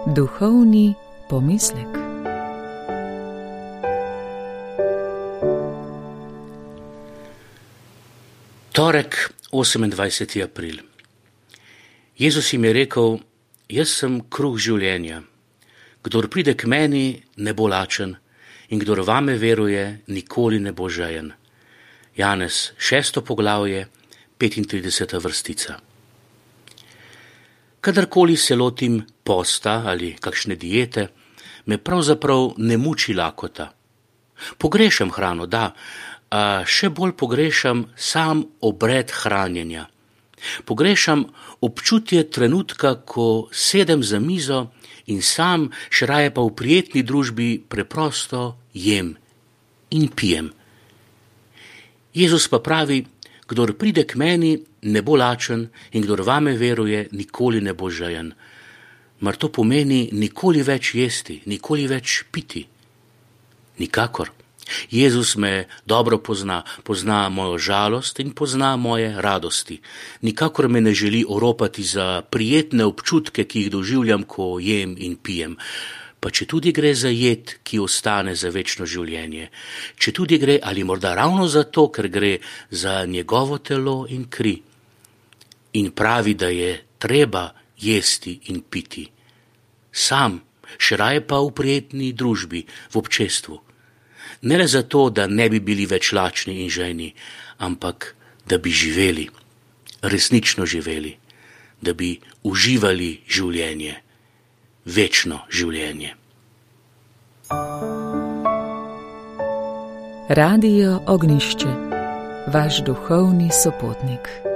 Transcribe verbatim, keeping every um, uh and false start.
Duhovni pomislek. Torek, osemindvajseti april. Jezus jim je rekel: jaz sem kruh življenja. Kdor pride k meni, ne bo lačen, in kdor vame veruje, nikoli ne bo žejen. Janez, šesto poglavje, petintrideseta vrstica. Kadarkoli se lotim posta ali kakšne diete, me pravzaprav ne muči lakota. Pogrešam hrano, da, a še bolj pogrešam sam obred hranjenja. Pogrešam občutje trenutka, ko sedem za mizo in sam, še raje pa v prijetni družbi, preprosto jem in pijem. Jezus pa pravi: kdor pride k meni, ne bo lačen, in kdor vame veruje, nikoli ne bo žejen. Mar to pomeni nikoli več jesti, nikoli več piti? Nikakor. Jezus me dobro pozna, pozna mojo žalost in pozna moje radosti. Nikakor me ne želi oropati za prijetne občutke, ki jih doživljam, ko jem in pijem. Pa če tudi gre za jed, ki ostane za večno življenje. Če tudi gre, ali morda ravno zato, ker gre za njegovo telo in kri. In pravi, da je treba jesti in piti. Sam, še raje pa v prijetni družbi, v občestvu. Ne le zato, da ne bi bili več lačni in žejni, ampak da bi živeli, resnično živeli, da bi uživali življenje, večno življenje. Radio Ognjišče, vaš duhovni sopotnik.